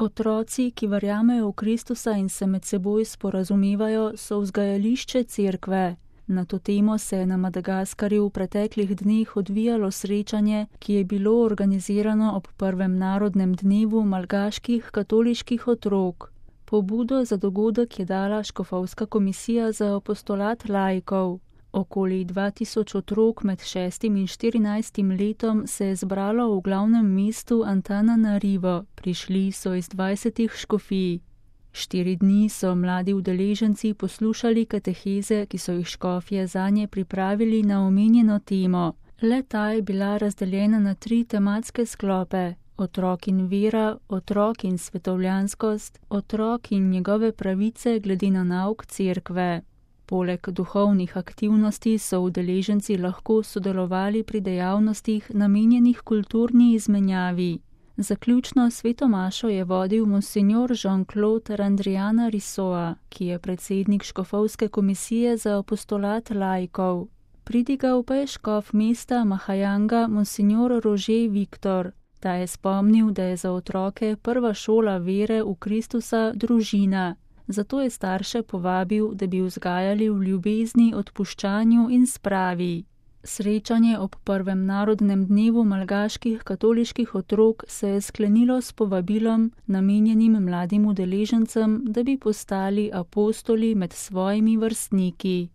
Otroci, ki verjamejo v Kristusa in se med seboj sporazumevajo, so vzgajališče cerkve. Na to temo se je na Madagaskarju v preteklih dneh odvijalo srečanje, ki je bilo organizirano ob prvem narodnem dnevu malgaških katoliških otrok. Pobudo za dogodek je dala Škofovska komisija za apostolat laikov. Okoli 2000 otrok med 6. in 14. letom se je zbralo v glavnem mestu Antananarivo, prišli so iz 20 škofij. 4 dni so mladi udeleženci poslušali kateheze, ki so jih škofje zanje pripravili na omenjeno temo. Le-ta je bila razdeljena na 3 tematske sklope: otrok in vera, otrok in svetovljanskost, otrok in njegove pravice glede na nauk cerkve. Poleg duhovnih aktivnosti so udeleženci lahko sodelovali pri dejavnostih namenjenih kulturni izmenjavi. Zaključno sveto mašo je vodil monsinjor Jean-Claude Randriana Rissoa, ki je predsednik Škofovske komisije za apostolat laikov. Pridigal pa je škof mesta Mahajanga monsinjor Roger Viktor. Ta je spomnil, da je za otroke prva šola vere v Kristusa družina. Zato je starše povabil, da bi vzgajali v ljubezni, odpuščanju in spravi. Srečanje ob prvem narodnem dnevu malgaških katoliških otrok se je sklenilo s povabilom, namenjenim mladim udeležencem, da bi postali apostoli med svojimi vrstniki.